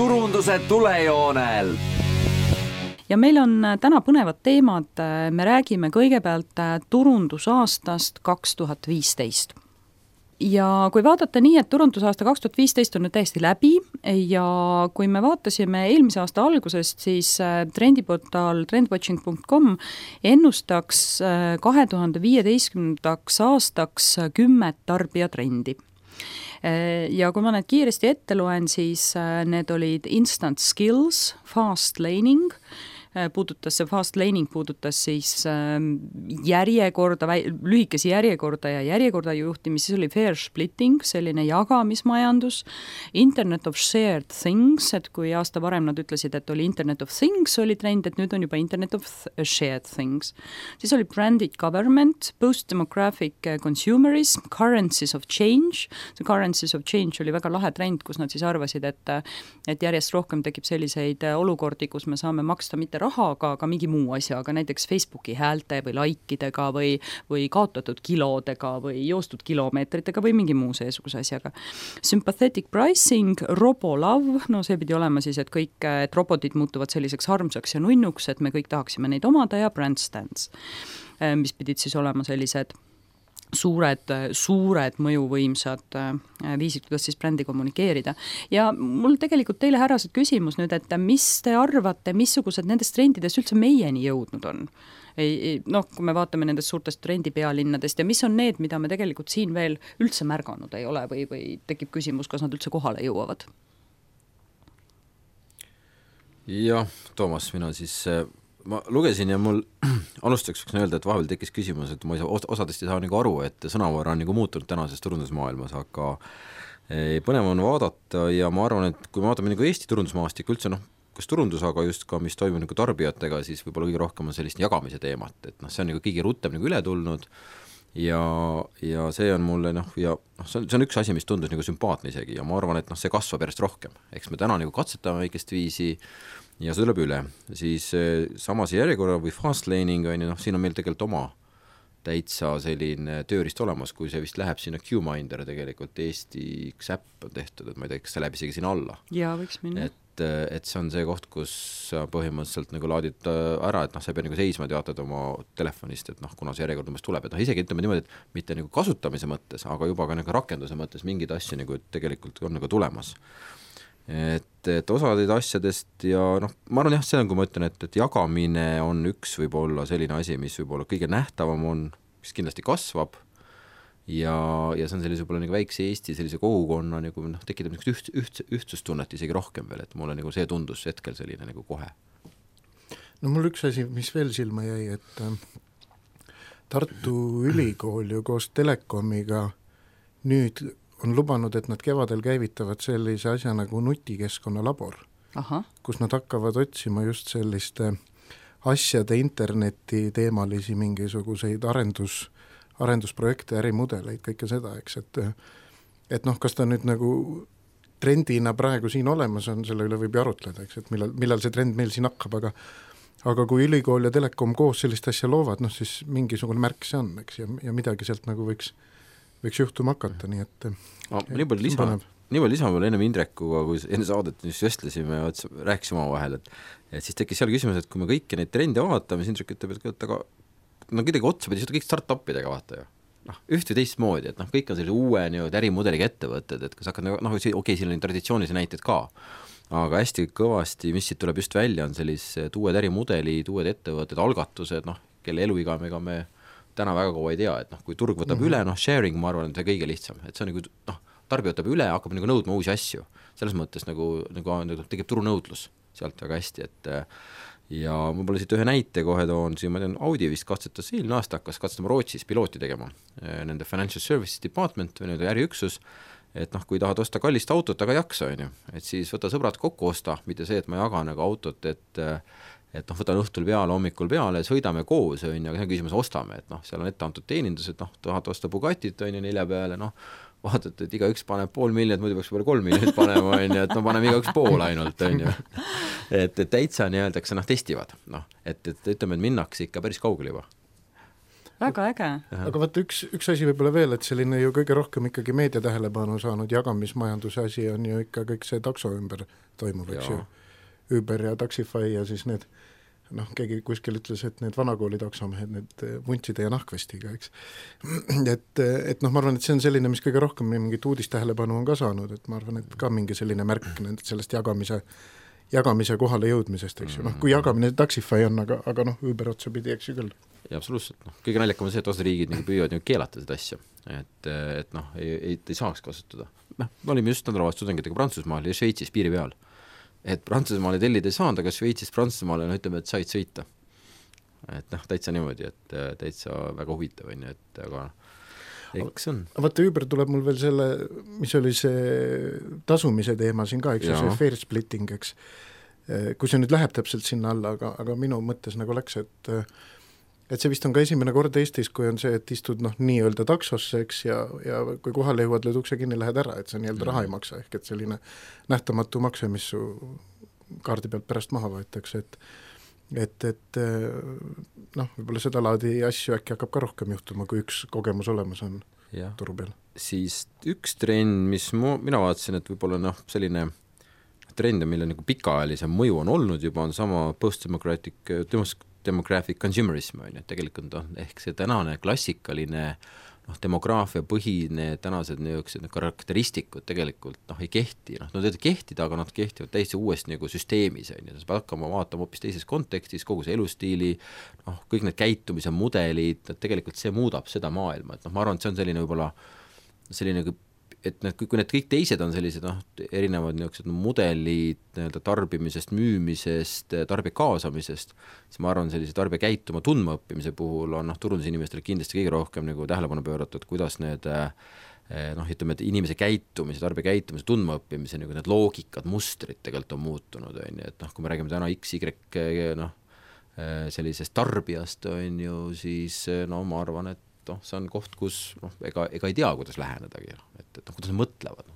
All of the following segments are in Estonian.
turunduse tulejoonel. Ja meil on täna põnevad teemad. Me räägime kõigepealt turundusaastast 2015. Ja kui vaadata nii, et turundusaasta 2015 on nüüd täiesti läbi ja kui me vaatasime eelmise aasta algusest, siis trendiportaal trendwatching.com ennustaks 2015. aastaks 10 tarbijatrendi. Ja kui ma need kiiresti ette loen, siis need olid instant skills, fast laning, fast laning puudutas siis järjekorda, lühikesi järjekorda ja järjekorda juhtimist, siis oli fair splitting, selline jagamismajandus, internet of shared things, et kui aasta varem nad ütlesid, et oli internet of things oli trend, et nüüd on juba internet of shared things. Siis oli branded government, post-demographic consumerism, currencies of change. See currencies of change oli väga lahe trend, kus nad siis arvasid, et järjest rohkem tekib selliseid olukordi, kus me saame maksta mitte rahaga, aga mingi muu asjaga, näiteks Facebooki häälte või laikidega või kaotatud kilodega või joostud kilomeetritega või mingi muu seesuguse asjaga. Sympathetic pricing, robolav, no see pidi olema siis, et robotid muutuvad selliseks harmsaks ja nunnuks, et me kõik tahaksime neid omada ja brand stands, mis pidid siis olema sellised suured mõjuvõimsad viisid, kuidas siis brändi kommunikeerida. Ja mul tegelikult teile härrased küsimus nüüd, et mis te arvate, missugused nendest trendidest üldse meieni jõudnud on? Kui me vaatame nendest suurtest trendipealinnadest ja mis on need, mida me tegelikult siin veel üldse märganud ei ole või tekib küsimus, kas nad üldse kohale jõuavad? Jah, Toomas, mina siis... Ma lugesin ja mul alustaks võiks öelda, et vahepeal tekkis küsimus, et ma osadest ei saa nagu aru, et sõnavara on nagu muutunud tänases turundusmaailmas, aga põnev on vaadata ja ma arvan, et kui me vaatame nagu Eesti turundusmaastik üldse, kas turundus, aga just ka mis toimub nagu tarbijatega, siis võib-olla kõige rohkem on sellist jagamise teemat, et see on nagu kõige rutem nagu üle tulnud ja see on mulle see on üks asi, mis tundus nagu sümpaatne isegi ja ma arvan, et see kasvab järjest rohkem. Eks me täna nagu katsetame väikest viisi ja see tuleb üle, siis samas järjekorra või fast laning siin on meil tegelikult oma täitsa selline tööriist olemas, kui see vist läheb sinna QMinder tegelikult, Eesti üks äpp on tehtud, et ma ei tea, kas see läheb isegi sinna alla. Jaa, võiks minna. Et see on see koht, kus põhimõtteliselt nagu laadid ära, et sa pead nagu seisma teatad oma telefonist, et kuna see järjekord umbes tuleb, et isegi ütleme niimoodi, et mitte nagu kasutamise mõttes, aga juba ka nagu rakenduse mõttes mingid asju nagu tegelikult on nagu tulemas. Et osadeid asjadest ja ma arvan see on, kui ma ütlen, et jagamine on üks võib-olla selline asi, mis võib-olla kõige nähtavam on, mis kindlasti kasvab ja see on sellise võib-olla nagu väikse Eesti sellise kogukonna nagu tekitab ühtsustunnet isegi rohkem veel, et mulle nagu see tundus hetkel selline nagu kohe. Mul üks asi, mis veel silma jäi, et Tartu Ülikool ju koos Telekomiga nüüd on lubanud, et nad kevadel käivitavad sellise asja nagu nutikeskkonna labor, kus nad hakkavad otsima just selliste asjade interneti teemalisi mingisuguseid arendusprojekte, ärimudeleid, kõike seda, eks, et kas ta nüüd nagu trendina praegu siin olemas on, selle üle võib arutleda, eks, et millal see trend meil siin hakkab, aga kui Ülikool ja Telekom koos sellist asja loovad, siis mingisugune märk see on, eks, ja midagi sealt nagu võiks juhtuma hakata, nii et nii palju lisama veel ennem Indrekuga, kui enne saadet vestlesime ja rääkisime omavahel, et siis tekkis seal küsimus, et kui me kõiki neid trende vaatame, siis Indrek ütleb, et aga kuidagi otsa pidi, kõik start-upidega vaata ju. Üht või teist moodi, et kõik on sellise uue ärimudeliga ettevõtted, et kas hakkad, okei, siin on traditsioonilisi näited ka, aga hästi kõvasti, mis siit tuleb just välja, on sellised uued ärimudelid, uued ettevõtted, algatused, kelle eluiga me täna väga kaua ei tea, et kui turg võtab üle, sharing, ma arvan, et see kõige lihtsam, et see on tarbija võtab üle, hakkab nõudma uusi asju, selles mõttes nagu tegeb turunõudlus sealt väga hästi, et ja ma pole siit ühe näite kohe toon, siin ma tean, Audi vist katsetas eelmine aasta, hakkas katsetama Rootsis pilooti tegema, nende Financial Services Department või äriüksus, et kui tahad osta kallist autot, aga jaksa, et siis võta sõbrad kokku osta, mitte see, et ma jagan autot, et võtan õhtul peale, hommikul peale, sõidame koos, aga see on küsimus, ostame, et seal on ette antud teenindus, et tahad osta Bugattit, 4 peale, vaadata, et igaüks paneb 500 000, muidu peaks 3 miljonit panema, et paneme igaüks pool ainult, et täitsa nii öeldakse, testivad, et ütleme, et minnakse ikka päris kaugele juba. väga äge. Aga vaata üks asi võib-olla veel, et selline ju kõige rohkem ikkagi meedia tähelepanu saanud jagamismajanduse asi on ju ikka kõik see takso ümber toimub, eks ju. Uber ja Taxify ja siis need, keegi kuskil ütles, et need vanakooli taksomehed, need vuntside ja nahkvestiga, eks. Et ma arvan, et see on selline, mis kõige rohkem mingit uudistähelepanu on ka saanud, et ma arvan, et ka mingi selline märk sellest jagamise kohale jõudmisest, eks ju. Kui jagamine Taxify on, aga Uber otsa pidi, eks ju küll. Ja absoluutselt, kõige naljakam on see, et osa riigid püüavad keelata seda asja, et ei saaks kasutada. Me olime just nädalavahetus tudengitega Prantsusmaal ja Šveitsis piiri peal. Et Prantsusmaale tellida ei saanud, aga Šveitsis Prantsusmaale ütleme, et said sõita. Et täitsa niimoodi, et täitsa väga huvitav on, et aga eks on. Vaata, Uber tuleb mul veel selle, mis oli see tasumise teema siin ka, eks see fair splitting, eks. Kui see nüüd läheb täpselt sinna alla, aga minu mõttes läks, et see vist on ka esimene kord Eestis, kui on see, et istud nii-öelda taksosse, eks, ja kui kohale jõuad, lööd ukse kinni, lähed ära, et see nii-öelda raha ei maksa, ehk et selline nähtamatu makse, mis su kaardi pealt pärast maha võetakse, et võib-olla seda laadi asju äkki hakkab ka rohkem juhtuma, kui üks kogemus olemas on turu peal. Siis üks trend, mis mina vaatasin, et võib-olla selline trend, mille pikaajalisem mõju on olnud juba, on sama demographic consumerism, et tegelikult ehk see tänane klassikaline demograafia põhine tänased karakteristikud tegelikult ei kehti, kehtida, aga nad kehtivad täiesti uuest süsteemis, sa pead hakkama vaatama hoopis teises kontekstis, kogu see elustiili, kõik need käitumise mudelid, tegelikult see muudab seda maailma, et ma arvan, et see on selline võib-olla selline, et kui need kõik teised on sellised erinevad mudelid tarbimisest, müümisest, tarbija kaasamisest, siis ma arvan, sellise tarbija käituma tundma õppimise puhul on turundusinimestele kindlasti kõige rohkem tähelepanu pööratud, kuidas need ütleme, et inimese käitumise, tarbija käitumise tundma õppimise need loogikad, mustrid tegelikult on muutunud, et kui me räägime täna XY sellisest tarbijast, on ju, siis ma arvan, et see on koht, kus ega ei tea, kuidas lähenedagi, et kuidas nad mõtlevad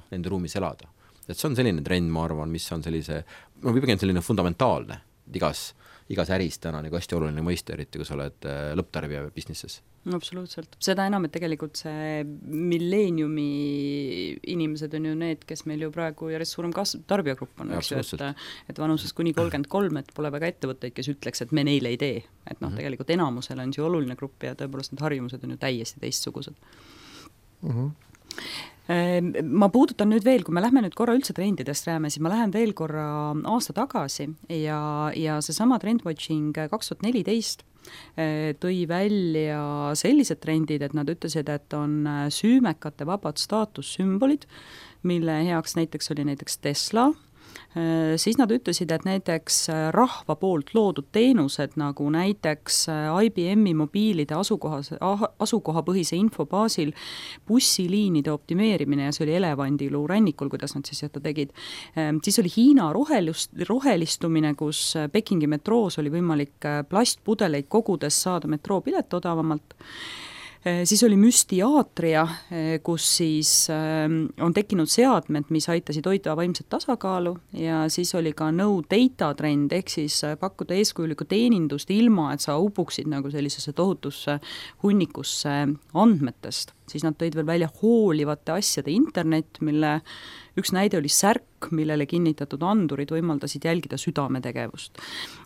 nende ruumis elada. Et see on selline trend, ma arvan, mis on sellise, pigem selline fundamentaalne igas äris täna hästi oluline mõiste, eriti kui sa oled lõpptarbija businesses. Absoluutselt. Seda enam, et tegelikult see milleeniumi inimesed on ju need, kes meil ju praegu järjest suurem tarbijagrupp on, eks ju, et vanuses kuni 33, et pole väga ettevõtteid, kes ütleks, et me neile ei tee. Et tegelikult enamusel on see oluline grupp ja tõepoolest need harjumused on ju täiesti teistsugused. Ma puudutan nüüd veel, kui me lähme nüüd korra üldse trendidest rääme, siis ma lähen veel korra aasta tagasi ja seesama Trendwatching 2014 tõi välja sellised trendid, et nad ütlesid, et on süümekate vabad staatussümbolid, mille heaks näiteks oli näiteks Tesla. Siis nad ütlesid, et näiteks rahva poolt loodud teenused, nagu näiteks IBM-i mobiilide asukohapõhise info baasil bussiliinide optimeerimine, ja see oli Elevandiluu rannikul, kuidas nad siis seda tegid. Siis oli Hiina rohelistumine, kus Pekingi metroos oli võimalik plastpudeleid kogudes saada metroopilet odavamalt. Siis oli müstiaatria, kus siis on tekkinud seadmed, mis aitasid hoida vaimset tasakaalu, ja siis oli ka no data trend, ehk siis pakkuda eeskujulikku teenindust ilma, et sa upuksid sellisesse tohutusse hunnikusse andmetest. Siis nad tõid veel välja hoolivate asjade internet, mille üks näide oli särk, millele kinnitatud andurid võimaldasid jälgida südametegevust.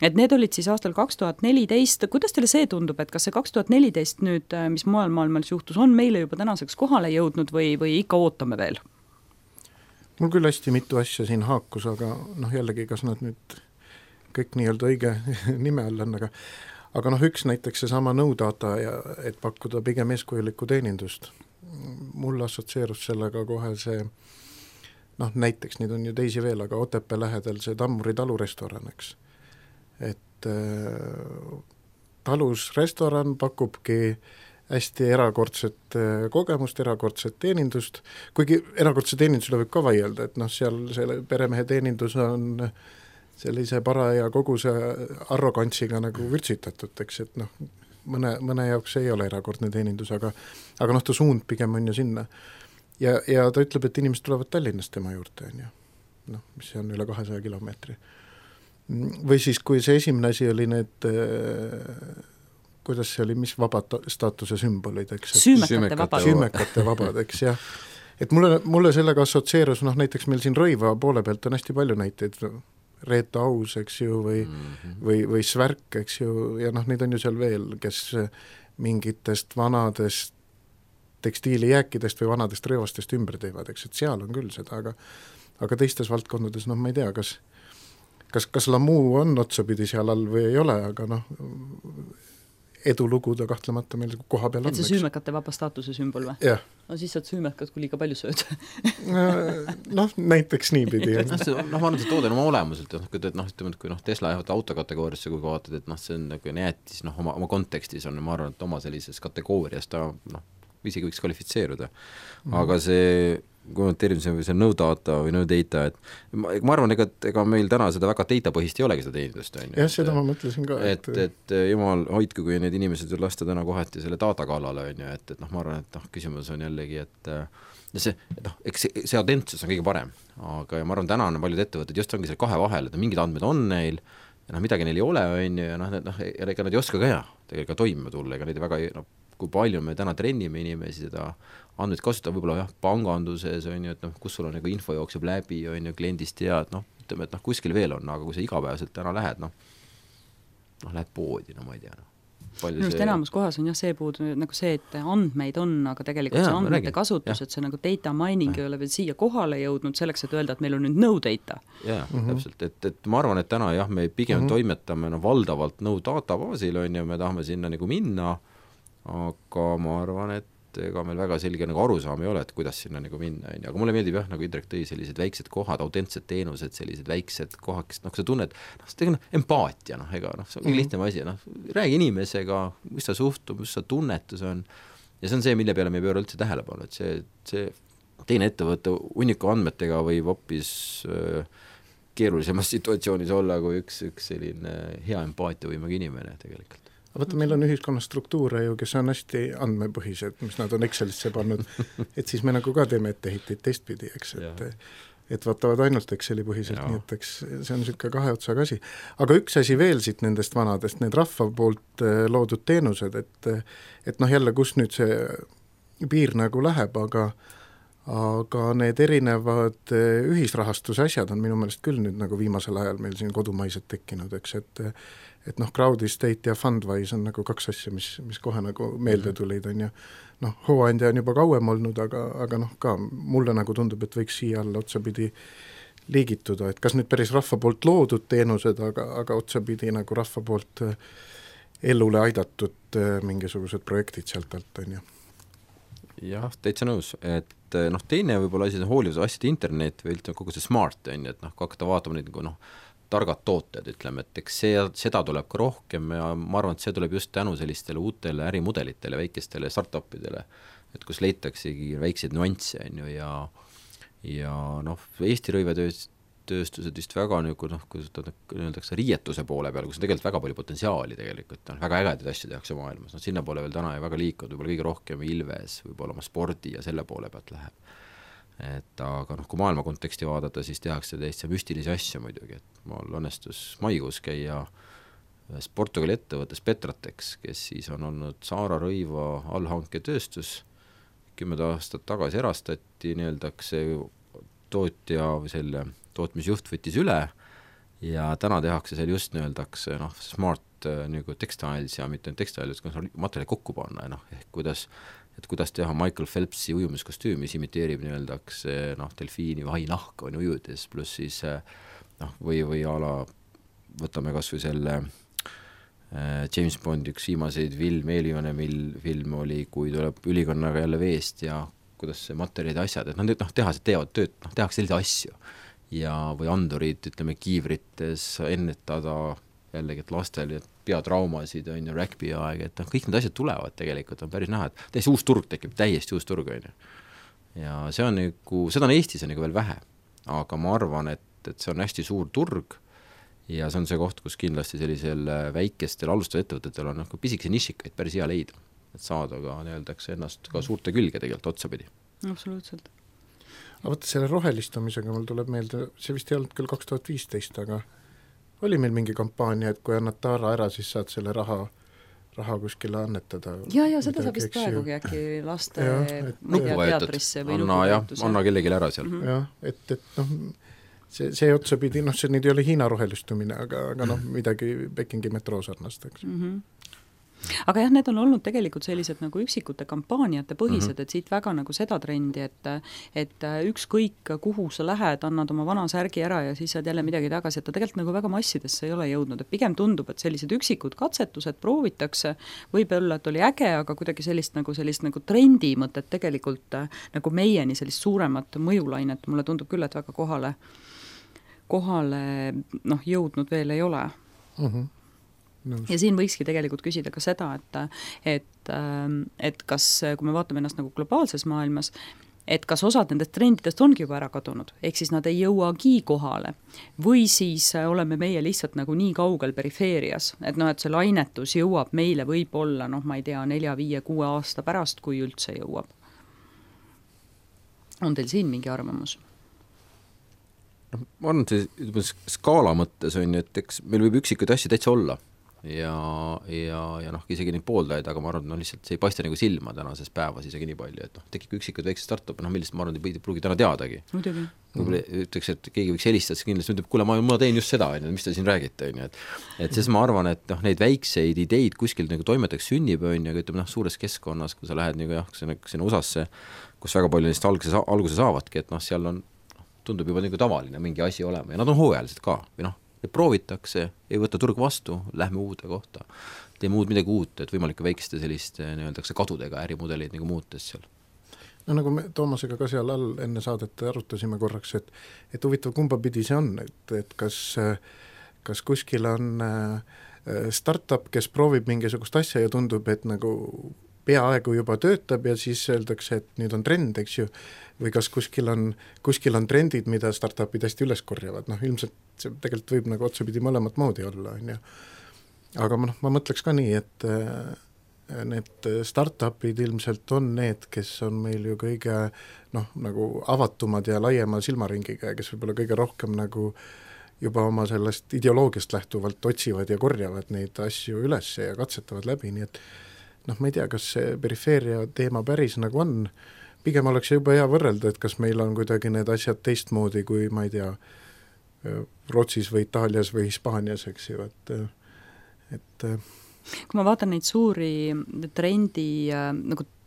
Et need olid siis aastal 2014, kuidas teile see tundub, et kas see 2014 nüüd, mis mujal maailmas juhtus, on meile juba tänaseks kohale jõudnud või ikka ootame veel? Mul küll hästi mitu asja siin haakus, aga jällegi, kas nad nüüd kõik nii-öelda õige nime all on, aga üks näiteks seesama no data, et pakkuda pigem eeskujulikku teenindust. Mul assotsieerus sellega kohe see näiteks neid on ju teisi veel, aga Otepää lähedal see Tammuri talurestoran, eks. Et talus restoran pakubki hästi erakordset kogemust, erakordset teenindust, kuigi erakordse teenindusele võib ka vaielda, et seal selle peremehe teenindus on sellise paraja koguse arrogantsiga vürtsitatud, eks, et mõne jaoks ei ole erakordne teenindus, aga ta suund pigem on ju sinna. Ja ta ütleb, et inimesed tulevad Tallinnast tema juurde, mis on üle 200 kilomeetri. Või siis, kui see esimene asi oli need kuidas see oli, mis vaba staatuse sümbolid, eks? Süümekate vabad, eks, jah. Et mulle sellega assotsieerus, näiteks meil siin Rõiva poole pealt on hästi palju näiteid, Reeta Aus, eks ju, või Svärk, eks ju, ja neid on ju seal veel, kes mingitest vanadest tekstiilijääkidest või vanadest rõivastest ümber teevad, eks, et seal on küll seda, aga teistes valdkondades, ma ei tea, kas Lamu on otsapidi seal all või ei ole, aga edulugu ta kahtlemata meil koha peal on. Et see süümekate vaba staatuse sümbol või? Jah. No siis saad süümekad, kui liiga palju sööd. Näiteks niipidi. ma arvan, et see toode on oma olemuselt, kui Tesla jäävad autokategooriasse, kui vaatad, et see on nagu jäätis, oma kontekstis on, ma arvan, et oma sellises kategoorias ta isegi võiks kvalifitseeruda. Aga see kommenteerin see no data või no data, et ma arvan, ega meil täna seda väga data-põhist ei olegi seda teenindust. Jah, seda ma mõtlesin ka. Et jumal hoidku, kui need inimesed lasta täna kohati selle data kallale, et ma arvan, et küsimus on jällegi, et eks see autentsus on kõige parem, aga ma arvan, täna on paljud ettevõtted just ongi seal kahe vahel, et mingid andmed on neil ja midagi neil ei ole, ja ega nad ei oska ka tegelikult toimima tulla, ega neid väga kui palju me täna trennime inimesi seda andmeid kasutada, võib-olla panganduses, et kus sul on info jookseb läbi, kliendist tead, ütleme, et kuskil veel on, aga kui sa igapäevaselt täna lähed, lähed poodi, ma ei tea. Just enamus kohas on see puudu, see, et andmeid on, aga tegelikult see andmete kasutus, et see data mining ei ole veel siia kohale jõudnud selleks, et öelda, et meil on nüüd no data. Jah, täpselt, et ma arvan, et täna me pigem toimetame valdavalt no data baasil, me tahame sinna minna, aga ma arvan, et ega meil väga selge arusaam ei ole, et kuidas sinna minna, aga mulle meeldib nagu Indrek tõi sellised väiksed kohad, autentsed teenused, sellised väiksed kohad, kes sa tunned, empaatia, see on lihtne asi, räägi inimesega, mis ta suhtub, mis ta tunnetus on, ja see on see, mille peale me ei pööra üldse tähelepanu, et see teine ettevõtte hunniku andmetega võib hoopis keerulisemas situatsioonis olla kui üks selline hea empaatiavõimega inimene tegelikult. Vaata, meil on ühiskonnas struktuure ju, kes on hästi andmepõhised, mis nad on Excelisse pannud, et siis me ka teeme etteheiteid teistpidi, eks, et vaatavad ainult Exceli põhiselt, nii et eks see on niisugune kahe otsaga asi. Aga üks asi veel siit nendest vanadest, need rahva poolt loodud teenused, et jälle, kus nüüd see piir läheb, aga need erinevad ühisrahastuse asjad on minu meelest küll nüüd viimasel ajal meil siin kodumaised tekkinud, eks, et Crowd Estate ja Fundwise on kaks asja, mis kohe meelde tulid, on ju. Hooandja on juba kauem olnud, aga ka mulle tundub, et võiks siia alla otsapidi liigituda, et kas nüüd päris rahva poolt loodud teenused, aga otsapidi rahva poolt elule aidatud mingisugused projektid sealt alt, on ju. Jah, täitsa nõus, et teine võib-olla asi on hoolivuse asjade internet või kogu see smart, on ju, et kui hakata vaatama neid targad tooted, ütleme, et eks seda tuleb ka rohkem ja ma arvan, et see tuleb just tänu sellistele uutele ärimudelitele, väikestele startupidele, et kus leitaksegi väikseid nüansse, on ju, ja Eesti rõivetööstused vist väga kui öeldakse riietuse poole peal, kus on tegelikult väga palju potentsiaali tegelikult, väga ägedaid asju tehakse maailmas, sinna poole veel täna ei väga liikunud, võib-olla kõige rohkem Ilves, võib-olla oma spordi ja selle poole pealt läheb. Aga kui maailma konteksti vaadata, siis tehakse täiesti müstilisi asju muidugi, et mul õnnestus maikuus käia ühes Portugali ettevõttes Petratex, kes siis on olnud Saara Rõiva allhanketööstus, 10 aastat tagasi erastati, see tootja või selle tootmisjuht võttis üle ja täna tehakse seal just smart textiles ja mitte textiles, kuidas materjali kokku panna, ehk kuidas teha Michael Phelpsi ujumiskostüümi, mis imiteerib delfiini või hainahka on ujudes, pluss siis või ala, võtame kas või selle James Bondi üks viimaseid eelviimane film oli, kui tuleb ülikonnaga jälle veest ja kuidas see materjalid asjad, et tehased teevad tööd, tehakse selliseid asju ja või andurid, ütleme, kiivrites ennetada jällegi, et lastel peatraumasid on ju rugby aeg, et kõik need asjad tulevad tegelikult, on päris näha, et täiesti uus turg tekib, täiesti uus turg on ju. Ja see on seda on Eestis on veel vähe, aga ma arvan, et see on hästi suur turg ja see on see koht, kus kindlasti sellisel väikestel alustav ettevõtetel on pisikese nišikaid päris hea leida, et saada ka ennast ka suurte külge tegelikult otsapidi. Absoluutselt. Aga võtta selle rohelistumisega mul tuleb meelde, see vist ei olnud küll 2015, aga oli meil mingi kampaania, et kui annad taara ära, siis saad selle raha raha kuskile annetada. Ja seda saab vist praegugi äkki laste teatrisse või anna kellelegi ära seal. Jah, et noh, see otsapidi, noh, see nüüd ei ole Hiina rohelistumine, aga noh, midagi Pekingi metroo sarnast, eks. Aga jah, need on olnud tegelikult sellised nagu üksikute kampaaniate põhised, et siit väga nagu seda trendi, et ükskõik kuhu sa lähed, annad oma vana särgi ära ja siis saad jälle midagi tagasi, et ta tegelikult nagu väga massidesse ei ole jõudnud, et pigem tundub, et sellised üksikud katsetused proovitakse, võib olla, et oli äge, aga kuidagi sellist nagu trendi mõtet tegelikult nagu meieni sellist suuremat mõjulainet, mulle tundub küll, et väga kohale noh, jõudnud veel ei ole. Ja siin võikski tegelikult küsida ka seda, et kas, kui me vaatame ennast nagu globaalses maailmas, et kas osad nendest trendidest ongi juba ära kadunud, ehk siis nad ei jõuagi kohale või siis oleme meie lihtsalt nagu nii kaugel perifeerias, et noh, et see lainetus jõuab meile võib-olla, noh, ma ei tea, 4, 5, 6 aasta pärast, kui üldse jõuab. On teil siin mingi arvamus? Ma arvan, et skaala mõttes on, et eks meil võib üksikuid asju täitsa olla ja noh, isegi neid pooldajaid, aga ma arvan, et lihtsalt see ei paista nagu silma tänases päevas isegi nii palju, et noh, tekib üksikud väiksed startup, millest ma arvan, et ei pruugi täna teadagi. Muidugi. Ütleks, et keegi võiks helistada, siis kindlasti ütleb, kuule, ma teen just seda, mis te siin räägite, et siis ma arvan, et noh, neid väikseid ideid kuskil nagu toimetaks sünnib, aga ütleme, noh, suures keskkonnas, kui sa lähed nagu sinna USA-sse, kus väga palju neist alguse saavadki, et noh, seal on, tundub juba nagu tavaline mingi asi olema ja nad on hooajalised ka, või noh, proovitakse, ei võta turg vastu, lähme uude kohta, teeme midagi uut, et võimalik väikeste selliste nii-öeldakse kadudega ärimudeleid nagu muutes seal. No nagu me Toomasega ka seal all enne saadet arutasime korraks, et huvitav kumba pidi see on, et kas kuskil on startup, kes proovib mingisugust asja ja tundub, et nagu peaaegu juba töötab ja siis öeldakse, et nüüd on trend, eks ju, või kas kuskil on trendid, mida startupid hästi üles korjavad, noh ilmselt see tegelikult võib nagu otsapidi mõlemat moodi olla, on ju. Aga ma mõtleks ka nii, et need startupid ilmselt on need, kes on meil ju kõige noh, nagu avatumad ja laiema silmaringiga ja kes võib-olla kõige rohkem nagu juba oma sellest ideoloogiast lähtuvalt otsivad ja korjavad neid asju üles ja katsetavad läbi, nii et noh, ma ei tea, kas see perifeeria teema päris nagu on, pigem oleks juba hea võrrelda, et kas meil on kuidagi need asjad teistmoodi kui, ma ei tea, Rootsis või Itaalias või Hispaanias, eks ju, et kui ma vaatan neid suuri trendi,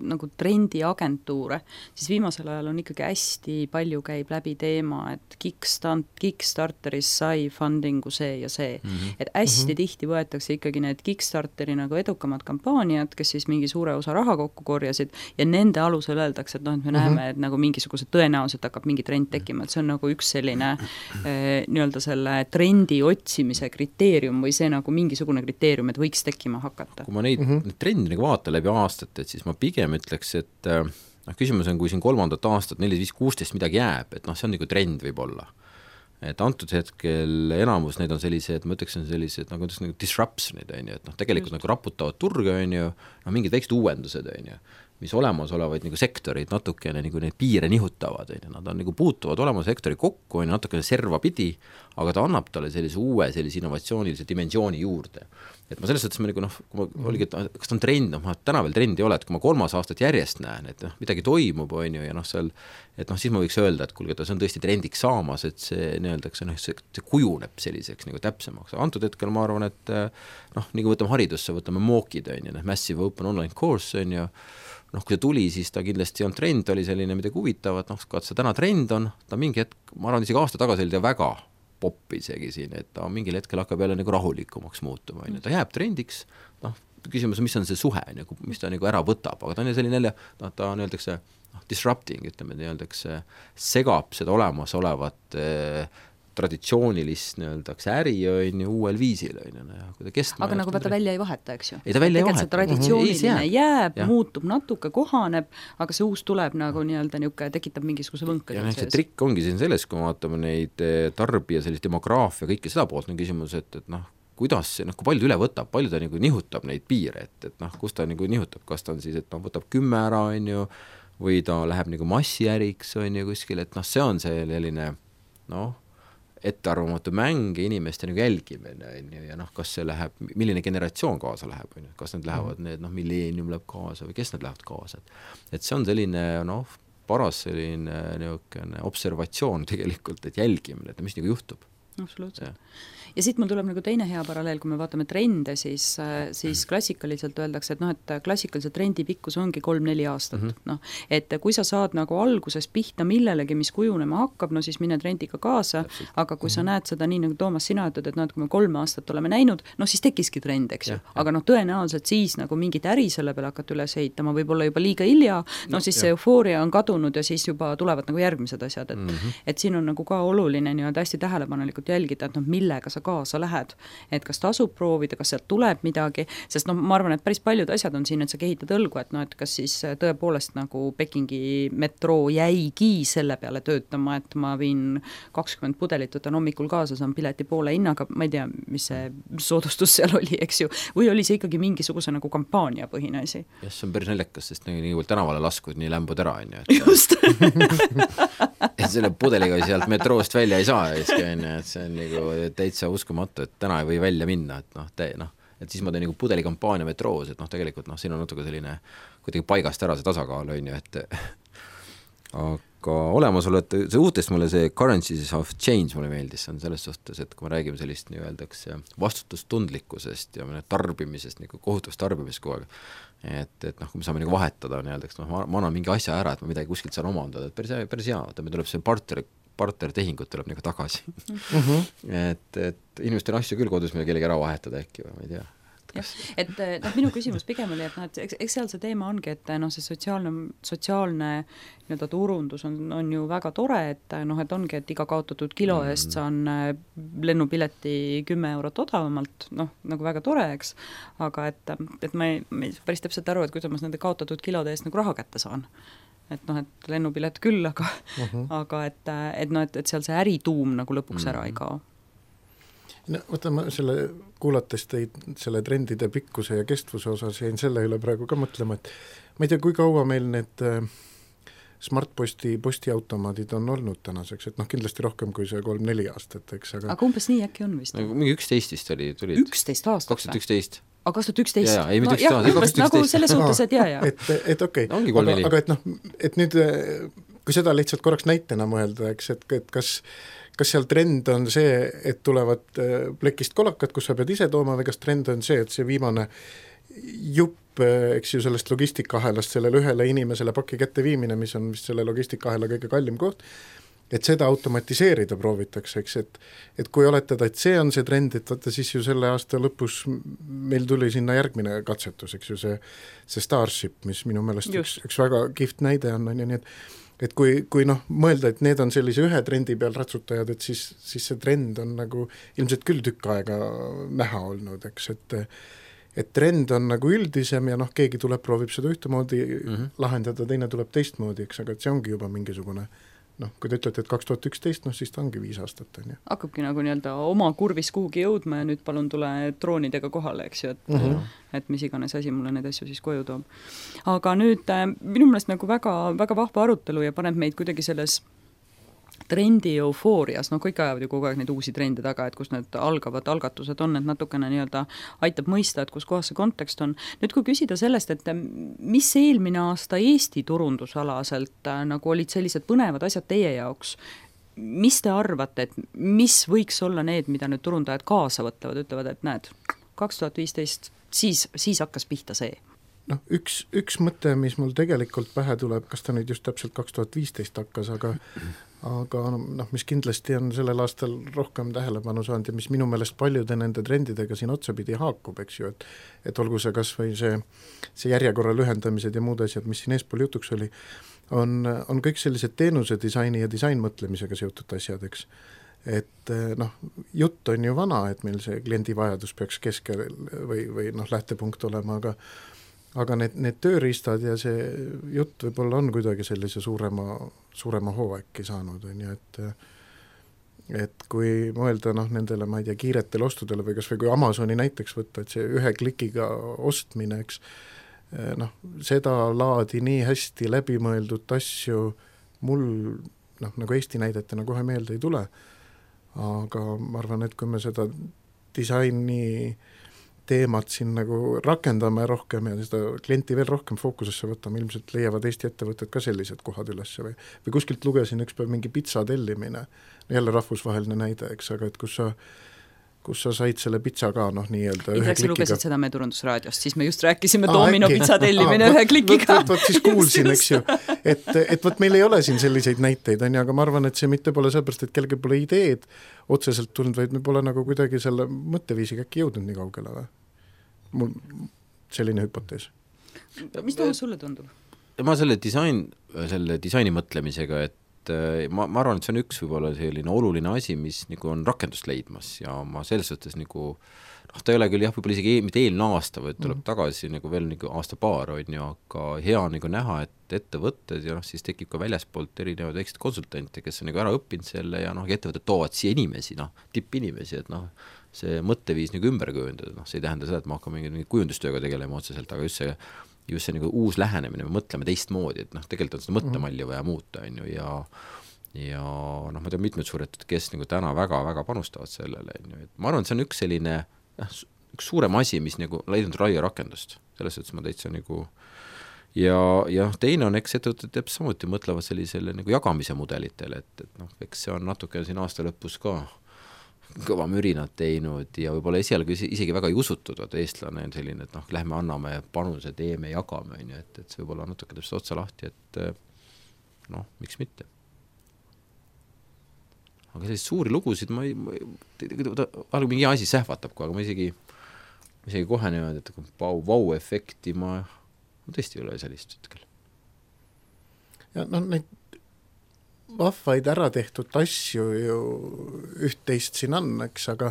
nagu trendiagentuure, siis viimasel ajal on ikkagi hästi palju käib läbi teema, et Kickstarteris sai fundingu see ja see. Et hästi tihti võetakse ikkagi need Kickstarteri nagu edukamad kampaaniad, kes siis mingi suure osa raha kokku korjasid ja nende alusel öeldakse, et noh, et me näeme, et nagu mingisuguse tõenäoliselt hakkab mingi trend tekkima, et see on nagu üks selline nii-öelda selle trendi otsimise kriteerium või see nagu mingisugune kriteerium, et võiks tekkima hakata. Kui ma neid trendi nagu vaatan läbi aastat, et siis ma pigem ütleks, et küsimus on, kui siin 3. aastat, 4, 5, 16 midagi jääb, et noh, see on nagu trend võib-olla. Et antud hetkel enamus neid on sellised, ma ütleks, on sellised nagu disruptionid, et noh, tegelikult nagu raputavad turge, mingid väiksed uuendused, mis olemasolevaid nagu sektorid natukene nagu neid piire nihutavad, nad on nagu puutuvad olema sektori kokku, natukene serva pidi, aga ta annab talle sellise uue, sellise innovatsioonilise dimensiooni juurde. Et ma selles suhtes ma nagu noh, kui ma oligi, et kas ta on trend, ma täna veel trendi ei ole, et kui ma 3. aastat järjest näen, et midagi toimub, ja noh, seal, et noh, siis ma võiks öelda, et kuulge, see on tõesti trendiks saamas, et see nii-öeldakse, noh, see kujuneb selliseks nagu täpsemaks. Antud hetkel ma arvan, et noh, nii kui võtame haridusse, võtame mookid, Massive Open Online Course, noh, kui see tuli, siis ta kindlasti on trend, ta oli selline midagi huvitavat, noh, see täna trend on, ta mingi hetk, ma arvan, isegi aasta tagasi oli ta väga popp isegi siin, et ta mingil hetkel hakkab jälle nagu rahulikumaks muutuma, ta jääb trendiks, noh, küsimus on, mis on see suhe, nagu, mis ta nagu ära võtab, aga ta on selline jälle, noh, ta on öeldakse disrupting, ütleme, öeldakse, segab seda olemasolevat traditsioonilist nii-öeldakse äri uuel viisil, kui ta kestma. Aga nagu ta välja ei vaheta, eks ju? Ei, ta välja ei vaheta. See traditsiooniline jääb, muutub natuke, kohaneb, aga see uus tuleb nagu nii-öelda niuke, tekitab mingisuguse võnkad. Ja see trikk ongi siin selles, kui vaatame neid tarbija sellist demograafia, kõike seda poolt on küsimus, et noh, kuidas see, noh, kui palju ta üle võtab, palju ta nagu nihutab neid piire, et noh, kus ta nagu nihutab, kas ta on siis, et noh, võtab 10 ära, või ta läheb nagu massiäriks, kuskil, et noh, see on selline, noh, ettearvamatu mäng ja inimeste nagu jälgimine, ja noh, kas see läheb, milline generatsioon kaasa läheb, kas need lähevad, need milleenium läheb kaasa või kes need lähevad kaasa, et see on selline paras selline niisugune observatsioon tegelikult, et jälgimine, et mis nagu juhtub. Absoluutselt. Ja siit mul tuleb nagu teine hea paralleel, kui me vaatame trende, siis klassikaliselt öeldakse, et klassikaliselt trendi pikkus ongi 3-4 aastat. Et kui sa saad nagu alguses pihta millelegi, mis kujunema hakkab, siis mine trendiga kaasa, aga kui sa näed seda nii, nagu Toomas, sina ütled, et kui me 3 aastat oleme näinud, siis tekkiski trend, eks ju. Aga tõenäoliselt siis nagu mingit äri selle peale hakata üles ehitama, võib-olla juba liiga hilja, siis see eufooria on kadunud ja siis juba tulevad nagu järgmised asjad. Et siin on nagu ka oluline hästi tähelepanelikult jälgida, et millega sa kaasa lähed, et kas tasub proovida, kas sealt tuleb midagi, sest ma arvan, et päris paljud asjad on siin, et sa kehitad õlgu, et kas siis tõepoolest nagu Pekingi metroo jäigi selle peale töötama, et ma viin 20 pudelit, võtan hommikul kaasa, saan pileti poole hinnaga, ma ei tea, mis see soodustus seal oli, eks ju, või oli see ikkagi mingisuguse nagu kampaania põhine asi? Jah, see on päris naljakas, sest nii tänavale laskud, nii lämbud ära, on ju. Just! et selle pudeliga sealt metroost välja ei saa, et see on nagu täitsa uskumatu, et täna ei või välja minna, et et siis ma teen nagu pudelikampaania metroos, et tegelikult siin on natuke selline kuidagi paigast ära see tasakaal, on ju, et aga olemasolu, et see uutest mulle see currencies of change mulle meeldis, see on selles suhtes, et kui me räägime sellist nii-öeldakse vastutustundlikkusest ja tarbimisest, nagu kohutavast tarbimist kogu aeg, et kui me saame nagu vahetada nii-öeldaks, ma annan mingi asja ära, et ma midagi kuskilt saan omandada, et päris hea, et me tuleb see partnertehingut tuleb nagu tagasi. et inimestel asju küll kodus meil kellegi ära vahetada äkki või ma ei tea. Et minu küsimus pigem oli, et eks seal see teema ongi, et see sotsiaalne turundus on ju väga tore, et ongi, et iga kaotatud kilo eest saan lennupileti 10 eurot odavamalt, nagu väga tore, eks, aga et ma ei päris täpselt aru, et kuidas ma nende kaotatud kilode eest nagu raha kätte saan. Et lennupilet küll, aga et seal see ärituum nagu lõpuks ära ei kao. No, võta ma kuulates teid selle trendide pikkuse ja kestvuse osas jäin selle üle praegu ka mõtlema, et ma ei tea, kui kaua meil need postiautomaadid on olnud tänaseks, et kindlasti rohkem kui see 3-4 aastat, eks, aga umbes nii äkki on vist? Mingi 11 oli, tulid 11 aastat? 2011. Aga 2011? Ei, mitte 11 aastat, nagu selles suhtes, et jaa. Et okei, aga et nüüd, kui seda lihtsalt korraks näitena mõelda, eks, et kas seal trend on see, et tulevad plekist kolakad, kus sa pead ise tooma, või kas trend on see, et see viimane jupp, eks ju, sellest logistikahelast sellele ühele inimesele paki kätte viimine, mis on vist selle logistikahela kõige kallim koht, et seda automatiseerida proovitakse, eks, et kui oletada, et see on see trend, et vaata siis ju selle aasta lõpus meil tuli sinna järgmine katsetus, eks ju, see Starship, mis minu meelest üks väga kihvt näide on ja nii, et kui mõelda, et need on sellise ühe trendi peal ratsutajad, et siis see trend on nagu ilmselt küll tükk aega näha olnud, eks, et trend on nagu üldisem ja keegi tuleb, proovib seda ühtemoodi lahendada, teine tuleb teistmoodi, eks, aga et see ongi juba mingisugune kui te ütlete, et 2011, siis ta ongi 5 aastat, on ju. Hakkabki nagu nii-öelda oma kurvis kuhugi jõudma ja nüüd palun tule droonidega kohale, eks ju, et mis iganes asi mulle neid asju siis koju toob. Aga nüüd minu meelest nagu väga, väga vahva arutelu ja paneb meid kuidagi selles trendi eufoorias, kõik ajavad ju kogu aeg neid uusi trende taga, et kus need algavad algatused on, et natukene nii-öelda aitab mõista, et kus kohas see kontekst on. Nüüd kui küsida sellest, et mis eelmine aasta Eesti turundusalaselt nagu olid sellised põnevad asjad teie jaoks, mis te arvate, et mis võiks olla need, mida nüüd turundajad kaasa võtavad, ütlevad, et näed, 2015 siis hakkas pihta see? Üks mõte, mis mul tegelikult pähe tuleb, kas ta nüüd just täpselt 2015 hakkas, aga mis kindlasti on sellel aastal rohkem tähelepanu saanud ja mis minu meelest paljude nende trendidega siin otsapidi haakub, eks ju, et olgu see kas või see järjekorra lühendamised ja muud asjad, mis siin eespool jutuks oli, on kõik sellised teenuse disaini ja disainmõtlemisega seotud asjad, eks. Et jutt on ju vana, et meil see kliendi vajadus peaks keskel või lähtepunkt olema, aga need tööriistad ja see jutt võib-olla on kuidagi sellise suurema hoo äkki saanud, on ju, et kui mõelda nendele, ma ei tea, kiiretele ostudele või kas või kui Amazoni näiteks võtta, et see ühe klikiga ostmine, eks, seda laadi nii hästi läbimõeldud asju mul nagu Eesti näidetena kohe meelde ei tule, aga ma arvan, et kui me seda disaini teemat siin nagu rakendame rohkem ja seda klienti veel rohkem fookusesse võtame, ilmselt leiavad Eesti ettevõtted ka sellised kohad üles või kuskilt lugesin üks päev mingi pitsa tellimine, jälle rahvusvaheline näide, eks, aga et kus sa said selle pitsa ka nii-öelda Indrek, sa lugesid seda meie Turundusraadiost, siis me just rääkisime Domino pitsa tellimine ühe klikiga. Võt siis kuulsin, eks ju, et võt meil ei ole siin selliseid näiteid, aga ma arvan, et see mitte pole sellepärast, et kellelgi pole ideed otseselt tulnud, vaid me pole nagu kuidagi selle mõtteviisiga äkki jõudnud nii kaugele või? Mul selline hüpotees. Mis Toomas sulle tundub? Ma selle disaini mõtlemisega, et ma arvan, et see on üks võib-olla selline oluline asi, mis nagu on rakendust leidmas ja ma selles suhtes nagu ta ei ole küll võib-olla isegi mitte eelmine aasta, vaid tuleb tagasi nagu veel nagu aasta-paar on ju, aga hea nagu näha, et ettevõtted ja siis tekib ka väljaspoolt erinevaid väikseid konsultante, kes on nagu ära õppinud selle ja ettevõtted toovad siia inimesi, tippinimesi, et see mõtteviis nagu ümber kujundada, see ei tähenda seda, et ma hakkan mingi kujundustööga tegelema otseselt, aga just see nagu uus lähenemine, me mõtleme teistmoodi, et tegelikult on seda mõttemalli vaja muuta, on ju, ja ma tean mitmed suured, kes nagu täna väga-väga panustavad sellele, on ju, et ma arvan, et see on üks selline üks suurem asi, mis nagu leidnud raia rakendust, selles suhtes ma täitsa nagu ja teine on, eks ettevõtted samuti mõtlevad sellisele nagu jagamise mudelitele, et eks see on natuke siin aasta lõpus ka kõva mürinad teinud ja võib-olla esialgu isegi väga ei usutud, et eestlane on selline, et lähme anname panuse, teeme, jagame, on ju, et see võib-olla natuke täpselt otsa lahti, et miks mitte. Aga selliseid suuri lugusid mingi asi sähvatab, aga ma isegi kohe niimoodi, et vau-efekti ma tõesti ei ole sellist hetkel. Ja neid vahvaid ära tehtud asju ju üht-teist siin on, eks, aga